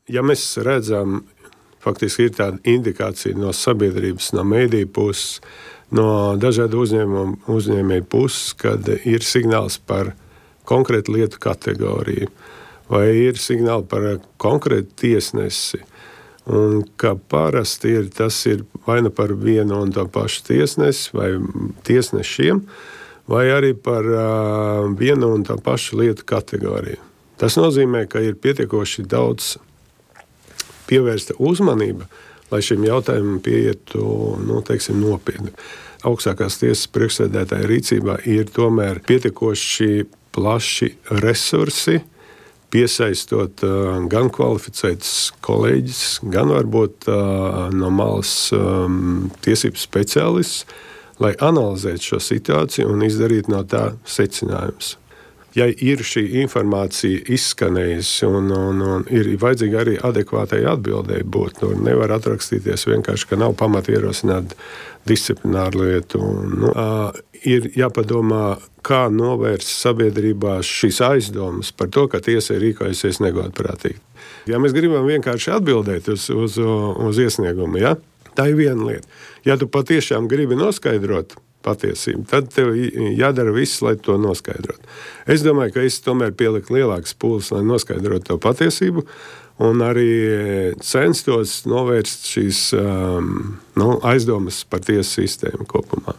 ja mēs redzam, faktiski ir tāda indikācija no sabiedrības, no mediju puses, no dažādu uzņēmēju puses, kad ir signāls par konkrētu lietu kategoriju, vai ir signāli par konkrētu tiesnesi. Un kā parasti tas ir vai nu par vienu un to pašu tiesnesi vai tiesnešiem, vai arī par vienu un to pašu lietu kategoriju. Tas nozīmē, ka ir pietiekoši daudz pievērsta uzmanība, lai šim jautājumam pieietu nopietni. Augstākās tiesas priekšsēdētāja rīcībā ir tomēr pietiekoši plaši resursi, piesaistot gan kvalificētus kolēģus, gan varbūt no malas tiesību speciālistus, lai analizētu šo situāciju un izdarītu no tā secinājumus. Ja ir šī informācija izskanējusi un ir vajadzīga arī adekvātai atbildēji būt, nevar atrakstīties vienkārši, ka nav pamata ierosināt disciplināru lietu. Ir jāpadomā, kā novērst sabiedrībā šīs aizdomas par to, ka tiesa ir rīkojusies negodprātīgi. Ja mēs gribam vienkārši atbildēt uz iesniegumu, tā ir viena lieta. Ja tu patiešām gribi noskaidrot patiesību, tad tev jādara viss, lai to noskaidrotu. Es domāju, ka es tomēr pieliku lielākas pūles, lai noskaidrotu to patiesību, un arī censtos novērst šīs aizdomas par tiesu sistēmu kopumā.